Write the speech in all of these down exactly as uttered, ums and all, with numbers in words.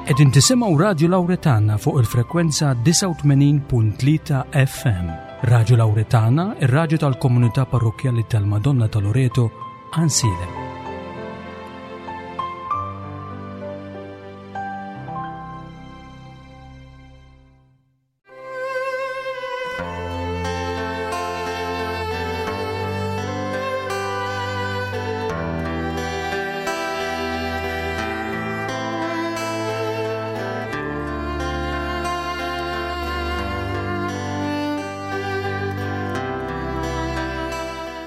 Qegħdin tisimgħu Radju Lawretana fuq il-frekwenza disgħa u tmenin punt tlieta F M. Radju Lawretana, ir-radju tal-Komunità Parrokkjali tal-Madonna ta' Loreto, Għajnsielem.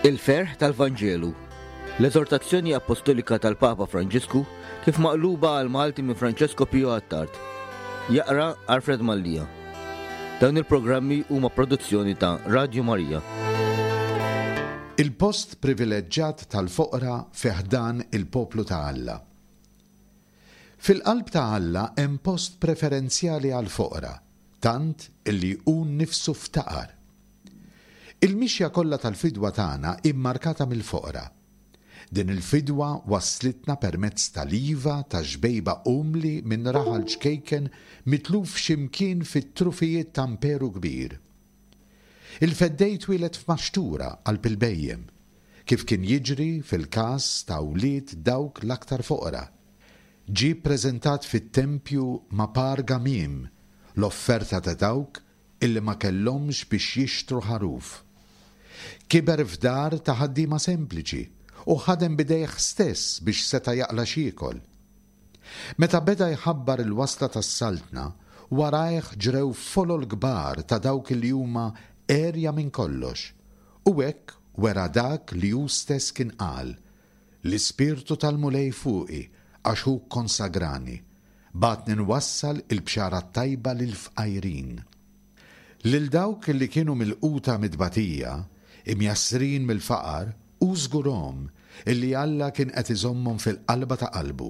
Il-ferħ tal-Vanġelu. L-eżortazzjoni apostolika tal-Papa Franġisku kif maqluba għal Malti minn Francesco Pio Attard. Jaqra Alfred Mallia. Dawn il-programmi huma produzzjoni ta' Radio Maria. Il-post privileġġat tal-foqra fi ħdan il-poplu ta' Alla. Fil-qalb ta' Alla hemm post preferenzjali għal-foqra, tant illi hu nnifsu ftaqar. Il-mixja kollha tal-fidwa tagħna immarkata mill-foqra. Din il-fidwa waslitna permezz tal-iva ta' xbejba umli minn raħal ċkejken mitluf x'imkien fit-trufijiet ta' imperu kbir. Il-Feddej twieled f'maxtura qalb il-bhejjem, kif kien jiġri fil-każ ta' wlied dawk l-aktar foqra. Ġie ppreżentat fit-tempju ma' par gamiem, l-offerta ta' dawk illi ma kellhomx biex jixtru ħaruf. Kiber f'dar ta' ħaddiema sempliċi u ħadem bidejh stess biex seta' jaqla' x'jiekol. Meta beda jħabbar il-wasla tas-saltna, warajh ġrew folol kbar ta' dawk li huma għerja minn kollox, u hekk wera dak li hu stess kien qal: "L-Ispirtu tal-Mulej fuqi għax hu kkonsagrani, bagħatni nwassal il-bxara tajba lill-fqajrin." Lil dawk li kienu milquta mit-tbatija, imjassrin mill-faqar, u żgurahom illi Alla kien qed iżommhom fil-qalba ta' qalbu.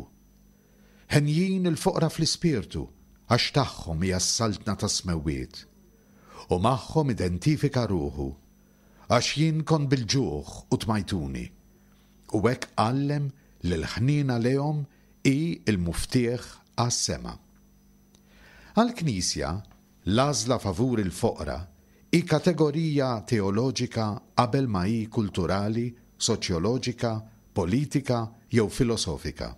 Henjin il-foqra fl-ispirtu, għax tagħhom hija s-saltna tas-smewwiet. U magħhom identifika ruħu, għax jien kont bil-ġuħ u tmajtuni. U hekk għallem li l-ħniena lejhom hi l-muftieħ għas-sema. Għal-Knisja, l-għażla favur il-foqra hi kategorija teoloġika qabel ma hi kulturali, soċjoloġika, politika jew filosofika.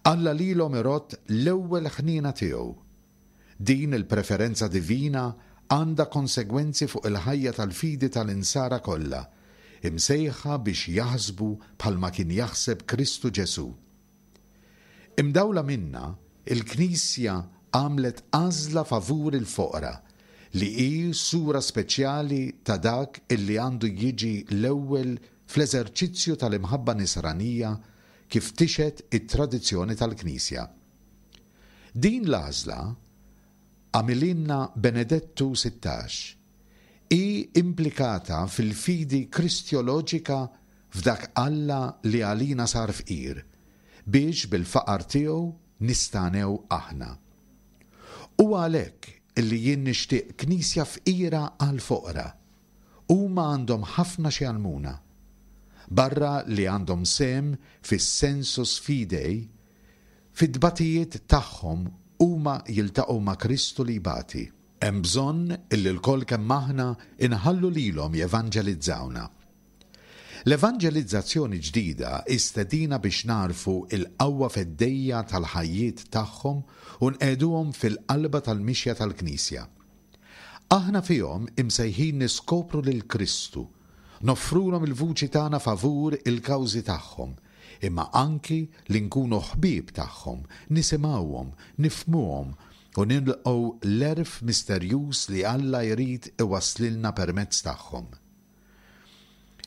Alla lilhom irodd l-ewwel ħniena tiegħu. Din il-preferenza divina għandha konsegwenzi fuq il-ħajja tal-fidi tal-insara kollha, imsejħa biex jaħsbu bħalma kien jaħseb Kristu Ġesu. Imdawla minnha, il-Knisja għamlet għażla favur il-foqra li hi sura speċjali ta' dak illi għandu jiġi l-ewwel fl-eżerċizzju tal-imħabba nisranija kif tixhed it-tradizzjoni tal-Knisja. Din l-għażla għamilhielna Benedettu Sittax hi implikata fil-fidi kristjoloġika f'dak Alla li għalina sar fqir biex bil-faqar tiegħu nistagħnew aħna. U għalhekk illi jien nixtieq knisja fqira għal foqra. Huma għandhom ħafna xi jgħallmuna. Barra li għandhom sehem fis-sensus fidei, fid-dbatijiet tagħhom huma jiltaqgħu ma' Kristu li jbati. Hemm bżonn illi lkoll kemm aħna inħallu lilhom jevanġelizzawna. L-evanġelizzazzjoni ġdida istedina biex nagħrfu il-qawwa feddejja tal-ħajjiet tagħhom u nqegħduhom fil-qalba tal-mixja tal-Knisja. Aħna fihom imsejħin niskopru lil Kristu, noffrulhom il-vuċi tagħna favur il-kawżi tagħhom, imma anki li nkunu ħbieb tagħhom, nisimgħuhom, nifhmuhom u nilqgħu l-għerf misterjuż li Alla jrid iwasslilna permezz tagħhom.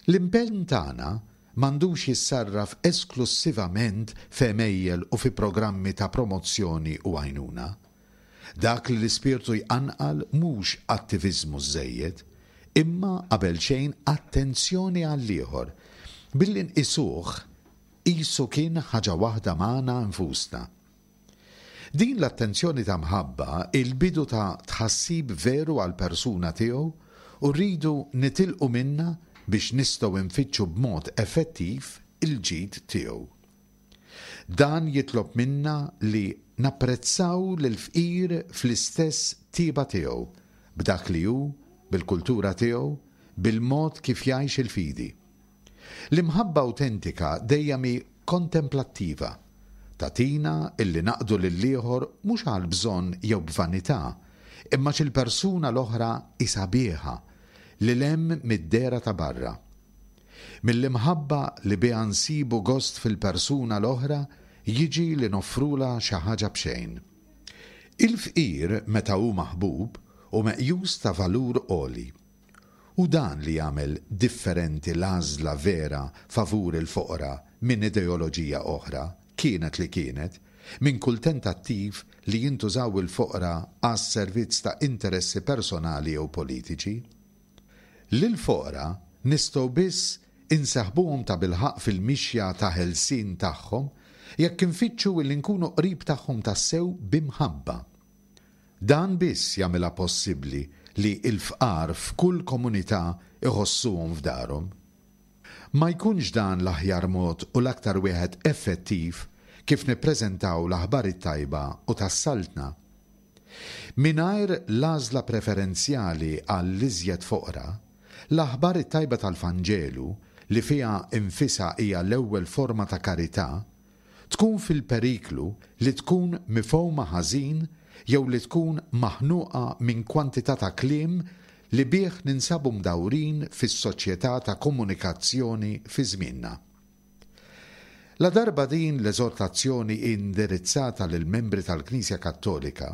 L-impenn tagħna m'għandux jissarraf esklussivament f'għemejjel u fi programmi ta' promozzjoni u għajnuna. Dak li l-ispirtu jqanqal mhux attiviżmu żejjed, imma qabel xejn attenzjoni għall-ieħor, billi nqisuh qisu kien ħaġa waħda magħna nfusna. Din l-attenzjoni ta' mħabba il-bidu ta' tħassib veru għal persuna tiegħu u rridu nitilqu minnha biex nistgħu nfittxu b'mod effettiv il-ġid tiegħu. Dan jitlob minna li napprezzaw lill-fqir fl-istess tiba tiegħu, b'dak li hu, bil-kultura tiegħu, bil-mod kif jgħix il-fidi. L-imħabba awtentika dejjem hi kontemplattiva. Tagħtina illi naqdu lill-ieħor mhux għal bżonn jew b'vanità, imma għax il-persuna l-oħra hi sabiħa, lil hemm mid-dehra ta' barra. Mill-imħabba li biha nsibu gost fil-persuna l-oħra jiġi li noffrulha xi ħaġa b'xejn. Il-fqir meta hu maħbub hu meqjus ta' valur għoli. Hu dan li jagħmel differenti l-għażla vera favur il-foqra minn ideoloġija oħra, kienet li kienet, minn kull tentattiv li jintużaw il-foqra għas-servizz ta' interessi personali jew politiċi. Lill-foqra nistgħu biss inseħbuhom tabilħaqq fil-mixja ta' ħelsien tagħhom jekk infittxu li nkunu qrib tagħhom tassew b'imħabba. Dan biss jagħmilha possibbli li l-fqar f'kull komunità iħossuhom f'darhom. Ma jkunx dan l-aħjar mod u l-aktar wieħed effettiv kif nippreżentaw l-aħbar it-tajba u tas-Saltna? Mingħajr l-għażla preferenzjali għall-iżjed foqra, l-aħbar it-tajba tal-Vanġelu, li fiha nfisha hija l-ewwel forma ta' karità, tkun fil-periklu li tkun mifhuma ħażin jew li tkun maħnuqa minn kwantità ta' kliem li bih ninsabu mdawrin fis-soċjetà ta' komunikazzjoni fi żmienna. Ladarba din l-eżortazzjoni hi indirizzata lill-membri tal-Knisja Kattolika,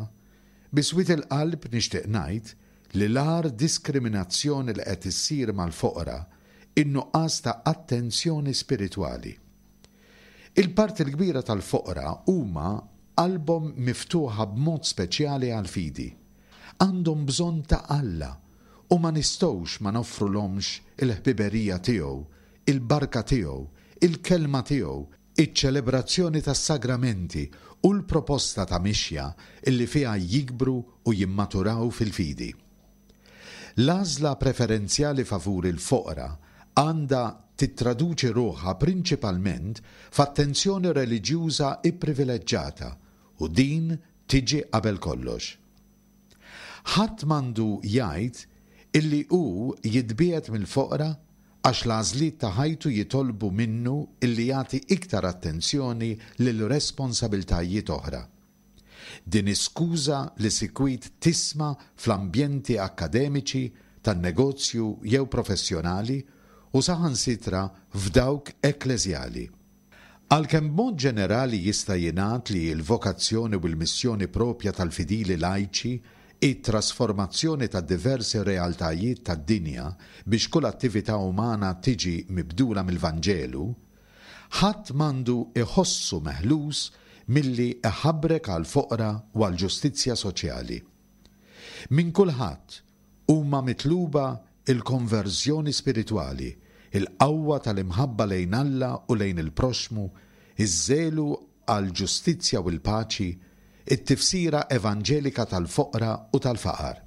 bi swied il-qalb nixtieq ngħid li l-agħar diskriminazzjoni li qed issir mal-foqra hi n-nuqqas ta' attenzjoni spiritwali. Il-parti l-kbira tal-foqra huma qalbhom miftuħa b'mod speċjali għall-fidi. Għandhom bżonn ta' Alla u ma nistgħux ma noffrulhomx il-ħbiberija tiegħu, il-barka tiegħu, il-kelma tiegħu, iċ-ċelebrazzjoni tas-sagramenti u l-proposta ta' mixja illi fiha jikbru u jimmaturaw fil-fidi. L-għażla preferenzjali favur il-foqra għandha tittraduċi ruħha prinċipalment f'attenzjoni reliġjuża ipprivileġġata u din tiġi qabel kollox. Ħadd m'għandu jgħid illi hu jitbiegħed mill-foqra għax l-għażliet ta' ħajtu jitolbu minnu illi jagħti iktar attenzjoni lil responsabiltajiet oħra. Din hi skuża li sikwit tisma' fl-ambjenti akkademiċi, tan-negozju jew professjonali u saħansitra f'dawk ekkleżjali. Għalkemm b'mod ġenerali jista' jingħad li l-vokazzjoni u l-missjoni proprja tal-fidili lajċi hi t-trasformazzjoni ta' diversi realtajiet tad-dinja biex kull attività umana tiġi mibdula mill-Vanġelu, ħadd m'għandu iħossu meħlus milli iħabrek għall-foqra u għall-ġustizzja soċjali. Minn kulħadd huma mitluba il-konverżjoni spiritwali, il-qawwa tal-imħabba lejn Alla u lejn il-proxxmu, iż-żelu għall-ġustizzja u l-paċi, it-tifsira evanġelika tal-foqra u tal-faqar.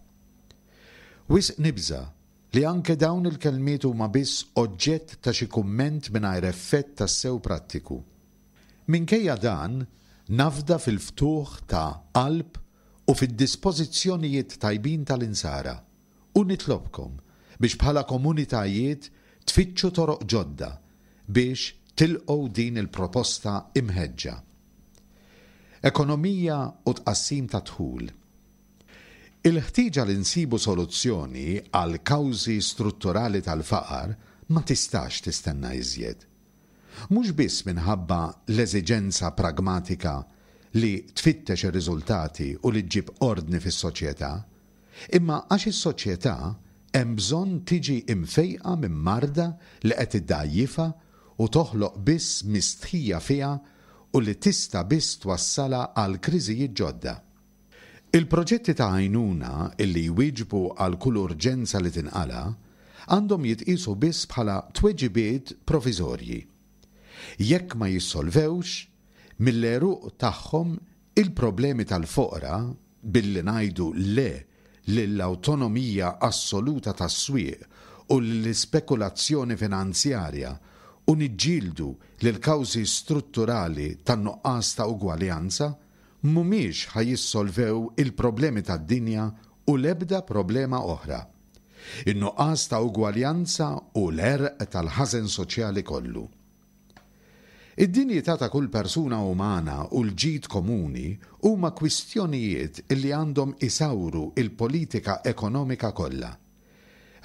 Wisq nibża' li anke dawn il-kelmiet huma biss oġġett ta' xi kumment mingħajr effett tassew prattiku. Minkejja dan, nafda fil-ftuħ ta' qalb u fid-dispożizzjonijiet tajbin tal-insara u nitlobkom biex bħala komunitajiet tfittxu toroq ġodda biex tilqgħu din il-proposta imħeġġa. Ekonomija u tqassim ta' dħul. Il-ħtieġa li nsibu soluzzjoni għall-kawżi strutturali tal-faqar ma tistax tistenna iżjed. Mhux biss minħabba l-eżiġenza pragmatika li tfittex ir-riżultati u li ġġib ordni fis-soċjetà, imma għax is-soċjetà hemm bżonn tiġi imfejqa minn marda li qed iddgħajjifha u toħloq biss mistħija fiha u li tista' biss twassalha għal kriżijiet ġodda. Il-proġetti ta' għajnuna illi jwieġbu għal kull urġenza li tinqala' għandhom jitqiesu biss bħala tweġibiet proviżorji. Jekk ma jissolvewx, mill-għeruq tagħhom, il-problemi tal-foqra billi ngħidu le lill-awtonomija assoluta tas-swieq u lill-ispekulazzjoni finanzjarja u niġġieldu lill-kawżi strutturali tan-nuqqas ta' ugwaljanza, mhumiex ħa jissolvew il-problemi tad-dinja u l-ebda problema oħra. In-nuqqas ta' ugwaljanza hu l-għerq tal-ħażen soċjali kollu. Id-dinjità ta' kull persuna umana u l-ġid komuni huma kwistjonijiet li għandhom isawru il-politika ekonomika kollha.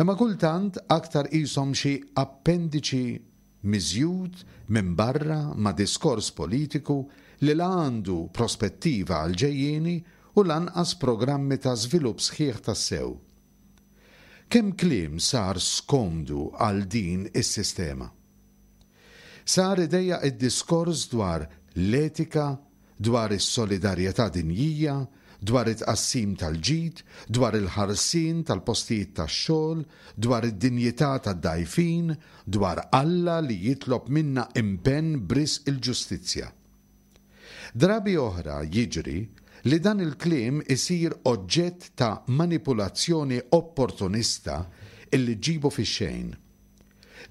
Imma kultant aktar qishom xi appendiċi miżjud minn barra ma' diskors politiku li la għandu prospettiva għall-ġejjieni u lanqas programmi ta' żvilupp sħiħ tassew. Kemm kliem sar skomdu għal din is-sistema. Sar idejjaq id-diskors dwar l-etika, dwar is-solidarjetà dinjija, dwar it-tqassim tal-ġid, dwar il-ħarsien tal-postijiet tax-xogħol, dwar id-dinjità tad-dgħajfin, dwar Alla li jitlob minna impenn b'risq il-ġustizzja. Drabi oħra jiġri li dan il-kliem isir oġġett ta' manipulazzjoni opportunista illi ġġibu fix-xejn.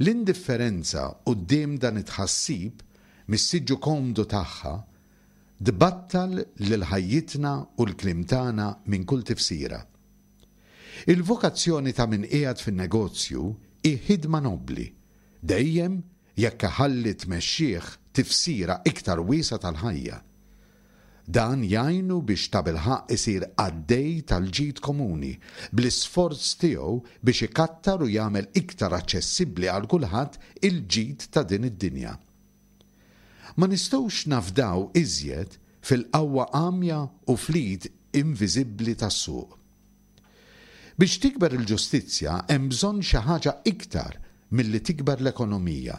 L-indifferenza quddiem dan it-tħassib mis-siġġu komdu tagħha tbattal lil ħajjitna u l-kliem tagħna minn kull tifsira. Il-vokazzjoni ta' min qiegħed fin-negozju hi ħidma nobbli, dejjem jekk iħalli tmexxih tifsira iktar wiesgħa tal-ħajja. Dan jgħinu biex tabilħaqq isir qaddej tal-ġid komuni, bl-isforz tiegħu biex ikattar u jagħmel iktar aċċessibbli għal kulħadd il-ġid ta' din id-dinja. Ma nistgħux nafdaw iżjed fil-qawwa għamja u fl-id inviżibbli tas-suq. Biex tikber il-ġustizzja hemm bżonn xi ħaġa iktar milli tikber l-ekonomija,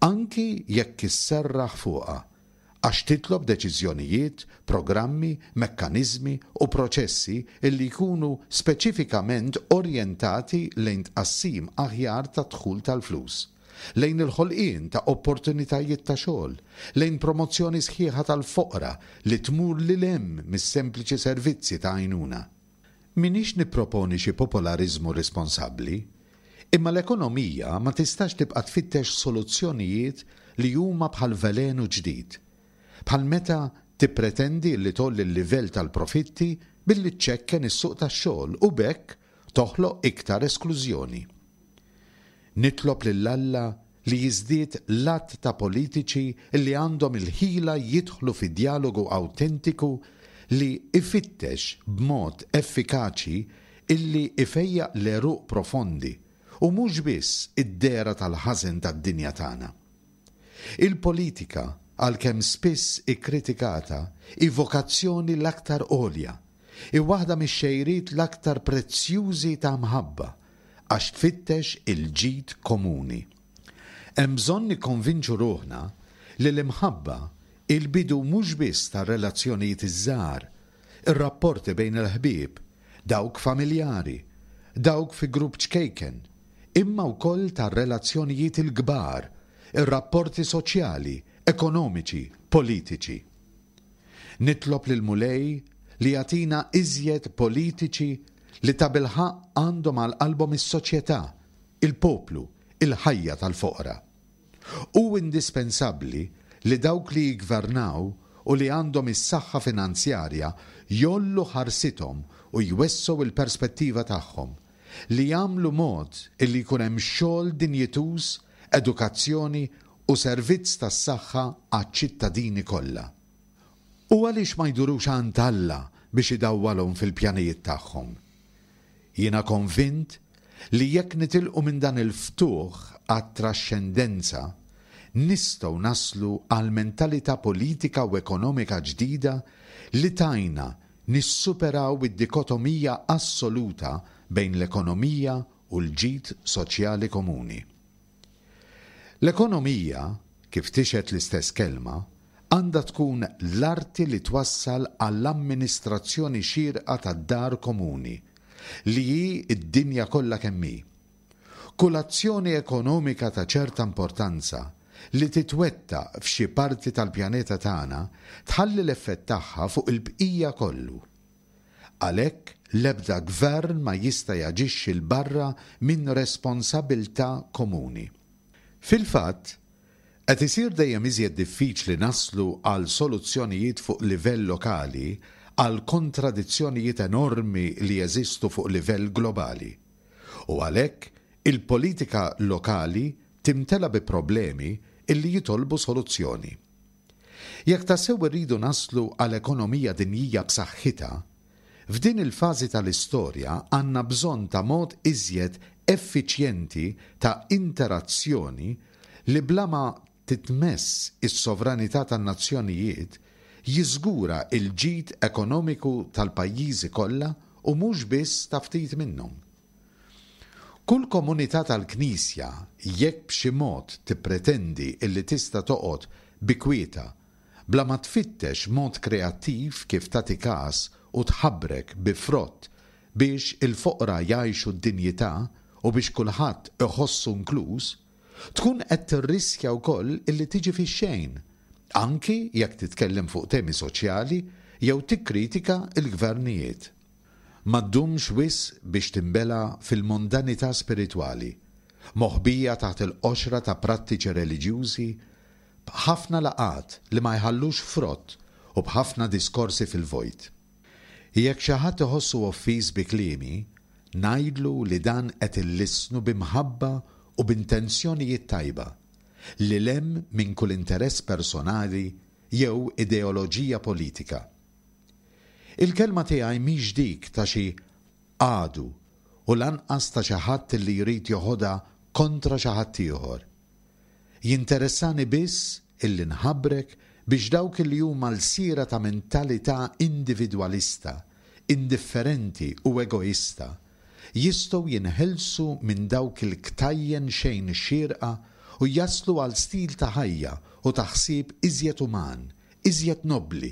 anki jekk isserraħ fuqha, għax titlob deċiżjonijiet, programmi, mekkaniżmi u proċessi illi jkunu speċifikament orjentati lejn tqassim aħjar ta' dħul tal-flus, lejn il-ħolqien ta' opportunitajiet ta' xogħol, lejn promozzjoni sħiħa tal-foqra li tmur lil hemm mis-sempliċi servizzi ta' għajnuna. M'iniex nipproponi xi popolariżmu responsabbli, imma l-ekonomija ma tistax tibqa' tfittex soluzzjonijiet li huma bħal velenu ġdid. Bħal meta tippretendi li tgħolli l-livell tal-profitti billi ċċekken is-suq tax-xogħol u b'hekk toħloq iktar esklużjoni. Nitlob lil Alla li jiżdied l-għadd ta' politiċi li għandhom il-ħila jidħlu fi djalogu awtentiku li ifittex b'mod effikaċi illi ifejjaq l-għeruq profondi u mhux biss id-dehra tal-ħażen tad-dinja tagħna. Il-politika, għalkemm spiss ikkritikata, hi vokazzjoni l-aktar għolja, hi waħda mix-xejriet l-aktar prezzjużi ta' mħabba, għax tfittex il-ġid komuni. Hemm bżonn nikkonvinċu ruħna li l-imħabba hi l-bidu mhux biss tar-relazzjonijiet iż-żgħar, ir-rapporti bejn il-ħbieb, dawk familjari, dawk fi grupp ċkejken, imma wkoll tar-relazzjonijiet il-kbar, ir-rapporti soċjali, ekonomiċi, politiċi. Nitlob lil Mulej li jagħtina iżjed politiċi li tabilħaqq għandhom għal qalbhom is-soċjetà, il-poplu, il-ħajja tal-foqra. Hu indispensabbli li dawk li jiggvernaw u li għandhom is-saħħa finanzjarja jgħollu ħarsithom u jwessgħu il-perspettiva tagħhom, li jagħmlu mod illi jkun hemm xogħol dinjituż, edukazzjoni u servizz tas-saħħa għaċ-ċittadini kollha. U għaliex ma jdurux għand Alla biex idawwalhom fil-pjanijiet tagħhom? Jiena konvint li jekk nitilqu minn dan il-ftuħ għat-traxxendenza, nistgħu naslu għal mentalità politika u ekonomika ġdida li tajna nissuperaw id-dikotomija assoluta bejn l-ekonomija u l-ġid soċjali komuni. L-ekonomija, kif tixhed l-istess kelma, għandha tkun l-arti li twassal għall-amministrazzjoni xierqa tad-dar komuni, li hi d-dinja kollha kemm hi. Kull azzjoni ekonomika ta' ċerta importanza li titwettaq f'xi parti tal-pjaneta tagħna tħalli l-effett tagħha fuq il-bqija kollu. Għalhekk l-ebda gvern ma jista' jaġixxi 'l barra minn responsabilità komuni. Fil-fatt, Qed isir dejjem iżjed diffiċli naslu għal soluzzjonijiet fuq livell lokali għal kontradizzjonijiet enormi li jeżistu fuq livell globali. U għalhekk il-politika lokali timtela bi problemi illi jitolbu soluzzjoni. Jekk tassew irridu naslu għal ekonomija dinjija b'saħħitha, f'din il-fażi tal-istorja għandna bżonn ta' mod iżjed effiċjenti ta' interazzjoni li bla ma titmess is-sovranità tan-nazzjonijiet jiżgura l-ġid ekonomiku tal-pajjiżi kollha u mhux biss ta' ftit minnhom. Kull komunità tal-Knisja, jekk b'xi mod tippretendi illi tista' toqgħod bi kwietha bla ma tfittex mod kreattiv kif tagħti kas u tħabrek bi frott biex il-foqra jgħixu d-dinjità u biex kulħadd iħossu inkluż, tkun qed tirriskja wkoll illi tiġi fix-xejn, anki jekk titkellem fuq temi soċjali jew tikkritika l-gvernijiet. Ma ddumx wisq biex tinbela' fil-mondanità spiritwali, moħbija taħt il-qoxra ta' prattiċi reliġjużi, b'ħafna laqgħat li ma jħallux frott u b'ħafna diskorsi fil-vojt. Jekk xi ħadd iħossu offiż bi kliemi, ngħidlu li dan qed illissnu bi mħabba u b'intenzjonijiet tajba, lil hemm minn kull interess personali jew ideoloġija politika. Il-kelma tiegħi mhix dik ta' xi għadu u lanqas ta' xi ħadd li jrid joħodha kontra xi ħadd ieħor. Jinteressani biss illi nħabrek biex dawk li huma lsiera ta' mentalità individwalista, indifferenti u egoista jistgħu jinħelsu minn dawk il-ktajjen xejn xierqa u jaslu għal stil ta' ħajja u ta' ħsieb iżjed uman, iżjed nobbli,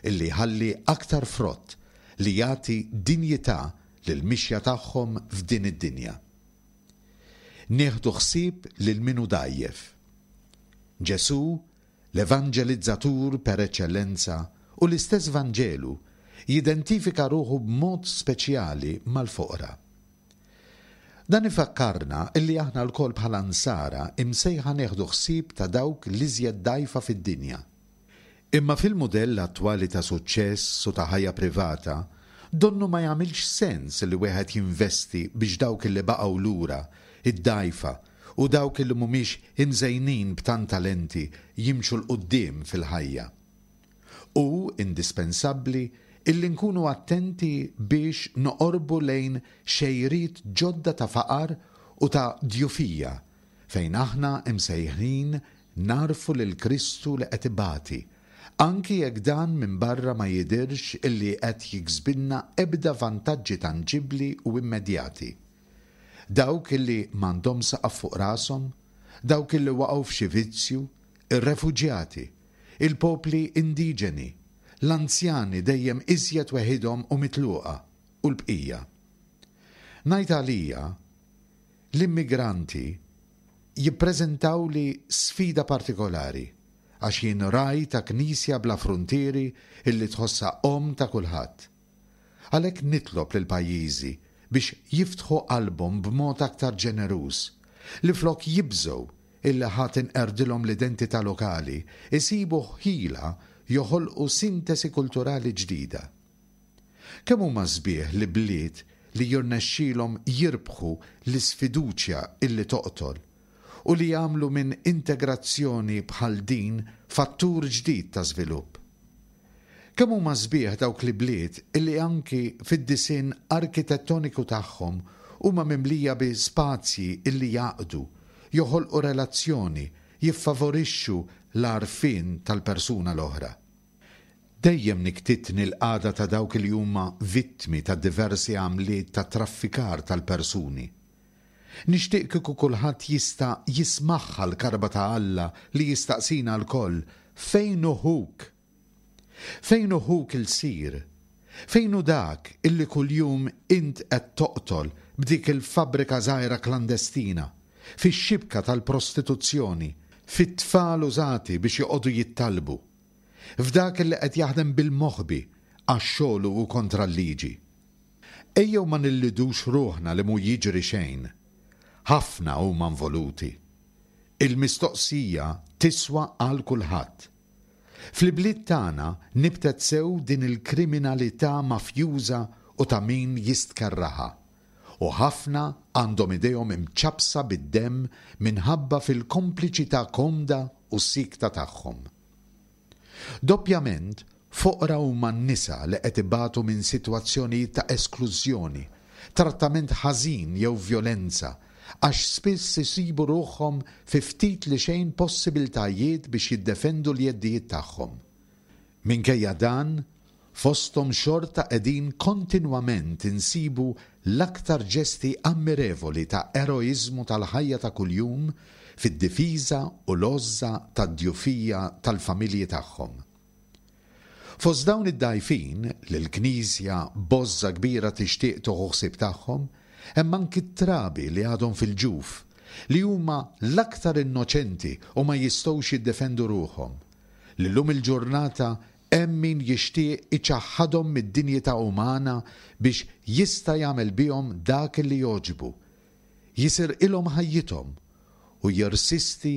illi jħalli aktar frott li jagħti dinjità lill-mixja tagħhom f'din id-dinja. Nieħdu ħsieb lil min hu dgħajjef. Ġesù, l-evanġelizzatur per eċċellenza, u l-istess Vanġelu jidentifika ruħu b'mod speċjali mal-foqra. Dan ifakkarna illi aħna lkoll bħala nsara imsejħa nieħdu ħsieb ta' dawk l-iżjed dgħajfa fid-dinja. Imma fil-mudell attwali ta' suċċess u ta' ħajja privata, donnu ma jagħmilx sens li wieħed jinvesti biex dawk li baqgħu lura, id-dgħajfa, u dawk li mhumiex imżejnin b'tant talenti jimxu 'l quddiem fil-ħajja. Hu indispensabbli illi nkunu attenti biex noqorbu lejn xejriet ġodda ta' faqar u ta' djufija fejn aħna imsejħin nagħrfu lil Kristu li qed ibati, anki jekk dan minn barra ma jidhirx illi qed jiksbilna ebda vantaġġi tanġibbli u immedjati. Dawk illi m'għandhom saqaf fuq rashom, dawk illi waqgħu f'xi vizzju, ir-refuġjati, il-popli indiġeni, l-anzjani dejjem iżjed weħidhom u mitluqa, u l-bqija. Ngħid għalija, l-immigranti jippreżentawli sfida partikolari, għax jien ragħaj ta' knisja bla fruntieri illi tħossha omm ta' kulħadd. Għalhekk nitlob lil pajjiżi biex jiftħu qalbhom b'mod aktar ġeneruż, li flok jibżgħu illi ħa tinqerdilhom l-identità lokali, isibu ħila joħolqu sintesi kulturali ġdida. Kemm huma sbieħ li bliet li jirnexxilhom jirbħu l-isfiduċja illi toqtol u li jagħmlu minn integrazzjoni bħal din fattur ġdid ta' żvilupp. Kemm huma sbieħ dawk li bliet illi anki fid-disinn arkitettoniku tagħhom huma mimlija bi spazji illi jaqdu, joħolqu relazzjoni, jiffavorixxu l-għarfien tal-persuna l-oħra. Dejjem niktitni l-qagħda ta' dawk li huma vittmi ta' diversi għamliet ta' traffikar tal-persuni. Nixtieq kieku kulħadd jista' jismagħha l-karba ta' Alla li jistaqsina lkoll, fejn hu ħuk? Fejn hu ħuk ilsir? Fejn hu dak illi kuljum int qed toqtol b'dik il-fabbrika żgħira klandestina, fix-xibka tal-prostituzzjoni, fit-tfal użati biex joqogħdu jittalbu, f'dak illi qed jaħdem bil-moħbi għax xogħlu hu kontra l-liġi? Ejjew ma nillidux ruħna li mhu jiġri xejn. Ħafna huma involuti. Il-mistoqsija tiswa għal kulħadd. Fl-ibliet tagħna nibtet sew din il-kriminalità mafjuża u ta' min jistkerraha. U ħafna għandhom idejhom imċappsa bid-demm minħabba fil-kompliċità komda u sikta tagħhom. Doppjament, foqra huma n-nisa li qed ibatu minn sitwazzjonijiet ta' esklużjoni, trattament ħażin jew vjolenza, għax spiss isibu ruħhom fi ftit li xejn possibiltajiet biex jiddefendu l-jeddijiet tagħhom. Minkejja dan, fosthom xorta qegħdin kontinwament insibu l-aktar ġesti ammirevoli ta' eroiżmu tal-ħajja ta' kuljum fid-difiża u l-għożża tad-djufija tal-familji tagħhom. Fost dawn id-dgħajfin li l-Knisja b'għożża kbira tixtieq tieħu ħsieb tagħhom, hemm anki t-trabi li għadhom fil-ġuf, li huma l-aktar innoċenti u ma jistgħux jiddefendu ruħhom, li llum il-ġurnata hemm min jixtieq iċaħħadhom mid-dinjità umana biex jista' jagħmel bihom dak li jogħġbu, jisirqilhom ħajjithom u jirsisti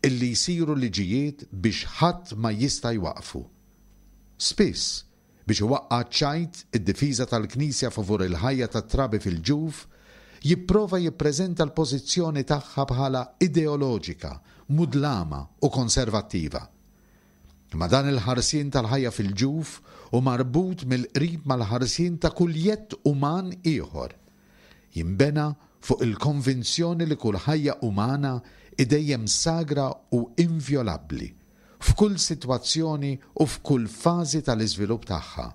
illi jsiru liġijiet biex ħadd ma jista' jwaqqfu. Spiss, biex iwaqqa' ċ-ċajt id-difiża tal-Knisja favur il-ħajja tat-trabi fil-ġuf, jipprova jippreżenta l-pożizzjoni tagħha bħala ideoloġika, mudlama u konservattiva. Imma dan il-ħarsien tal-ħajja fil-ġuf hu marbut mill-qrib mal-ħarsien ta' kull jedd uman ieħor. Jinbena fuq il-konvinzjoni li kull ħajja umana hi dejjem sagra u invjolabbli, f'kull sitwazzjoni u f'kull fażi tal-iżvilupp tagħha.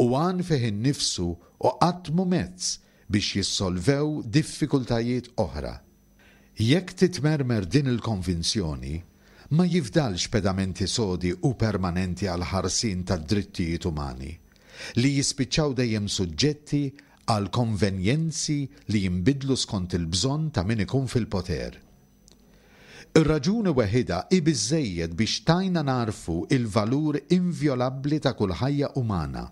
U għan fih innifsu u qatt mhu mezz biex jissolvew diffikultajiet oħra. Jekk titmermer din il-konvinzjoni, ma jifdalx pedamenti sodi u permanenti għal ħarsien tad-drittijiet umani, li jispiċċaw dejjem suġġetti għal konvenjenzi li jinbidlu skont il-bżonn ta' min ikun fil-poter. Ir-raġuni weħida hi biżżejjed biex tajna narfu il-valur invjolabbli ta' kull ħajja umana.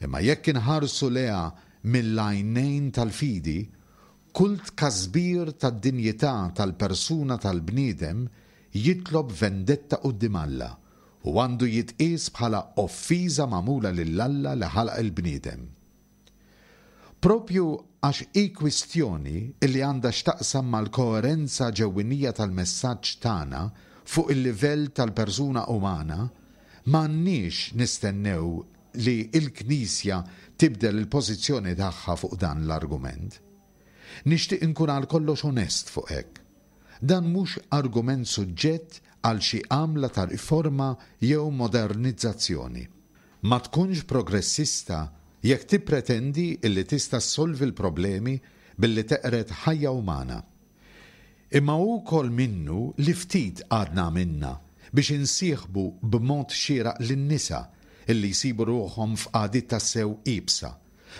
Imma jekk inħarsu leha mill-għajnejn tal-fidi, kull tkasbir tad-dinjità tal-persuna tal-bniedem jitlob vendetta quddiem Alla u għandu jitqies bħala offiża magħmula lil Alla li ħalaq il-bniedem. Propju għax hi kwistjoni li għandha x'taqsam mal-koerenza ġewwinija tal-messaġġ tagħna fuq il-livell tal-persuna umana, m'għandniex nistennew li l-Knisja tibdel il-pożizzjoni tagħha fuq dan l-argument. Nixtieq inkun għal kollox onest fuq hekk. Dan mhux argument suġġett għal xi għamla ta' riforma jew modernizzazzjoni. Ma tkunx progressista jekk tippretendi illi tista' ssolvi l-problemi billi teqred ħajja umana. Imma hu wkoll minnu li ftit għadna għamilna biex insieħbu b'mod xieraq lin-nisa illi jsibu ruħhom f'qagħdiet tassew iebsa,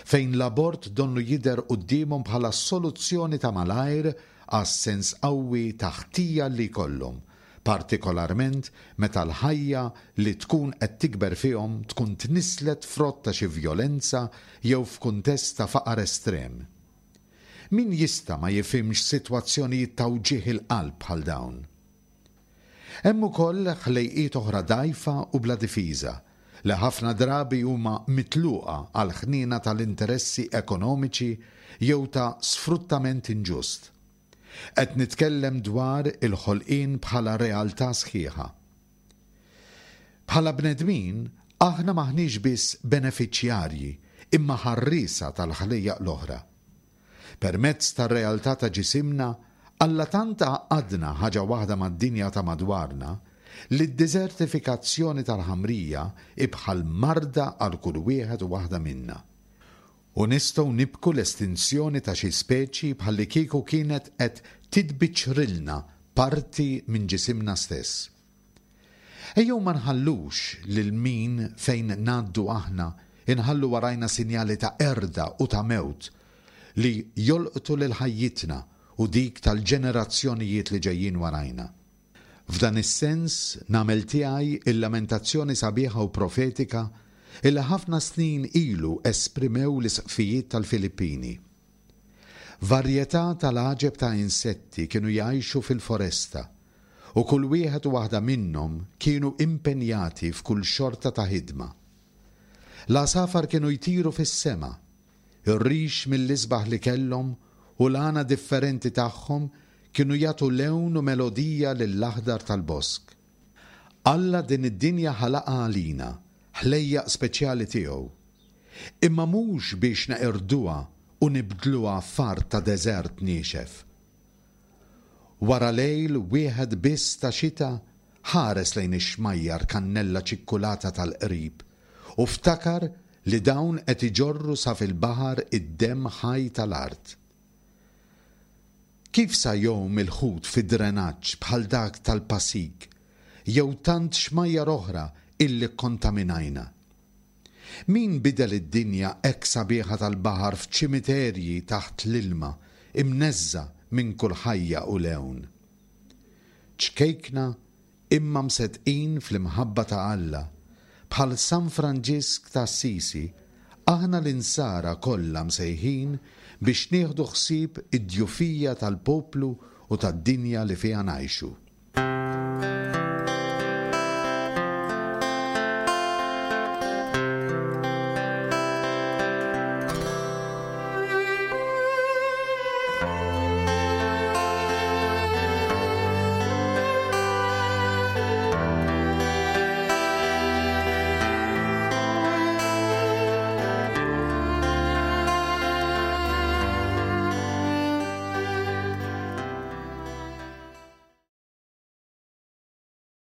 fejn l-abort donnu jidher quddiemhom bħala soluzzjoni ta' malajr għas-sens qawwi ta' ħtija li jkollhom, partikolarment meta l-ħajja li tkun qed tikber fihom tkun tnisslet frott ta' xi vjolenza jew f'kuntest ta' faqar estrem. Min jista' ma jifhimx sitwazzjonijiet ta' wġigħ il-qalb bħal dawn? Hemm ukoll ħlejqiet oħra dgħajfa u bla difiża li ħafna drabi huma mitluqa għal ħniena tal-interessi ekonomiċi jew ta' sfruttament inġust. Qed nitkellem dwar il-ħolqien bħala realtà sħiħa. Bħala bnedmin, aħna maħniex biss beneficjarji, imma ħarriesa tal-ħlejjaq l-oħra. Permezz tar-realtà ta' ġisimna, Alla tant għaqqadna ħaġa waħda mad-dinja ta' madwarna li d-desertifikazzjoni tal-ħamrija hi bħal marda għal kull wieħed u waħda minna. U nistgħu nibku l-estinzjoni ta' xi speċi bħalli kieku kienet qed titbiċċrilna parti minn ġisimna stess. Ejjew ma nħallux lil min fejn ngħaddu aħna inħallu warajna sinjali ta' qerda u ta' mewt li jolqtu lil ħajjitna u dik tal-ġenerazzjonijiet li ġejjin warajna. F'dan is-sens nagħmel tiegħi il-lamentazzjoni sabiħa u profetika illi ħafna snin ilu esprimew l-isqfijiet tal-Filippini. Varjetà tal-għaġeb ta' insetti kienu jgħixu fil-foresta u kull wieħed u waħda minnhom kienu impenjati f'kull xorta ta' ħidma. L-għasafar kienu jtiru fis-sema, ir-rix mill-isbaħ li kellhom u l-għana differenti tagħhom kienu jagħtu lewn u melodija lill-aħdar tal-bosk. Alla din id-dinja ħalaqha għalina, ħlejjaq speċjali tiegħu. Imma mhux biex neqirduha u nibdluha f'art ta' deżert niexef. Wara lejl wieħed biss ta' xita, ħares lejn ix-xmajjar kannella ċikkulata tal-qrib u ftakar li dawn qed iġorru sa fil-baħar id-demm ħaj tal-art. Kif sa jgħum il-ħut fi drenaġġ bħal dak tal-Pasig jew tant xmajjar oħra illi kkontaminajna? Min bidel id-dinja hekk sabiħa tal-baħar f'ċimiterji taħt l-ilma imneżża' minn kull ħajja u lewn? Ċkejkna imma mseddqin fl-imħabba ta' Alla, bħal San Franġisk ta' Assisi, aħna l-insara kollha msejħin biex nieħdu ħsieb id-djufija tal-poplu u tad-dinja li fiha ngħixu.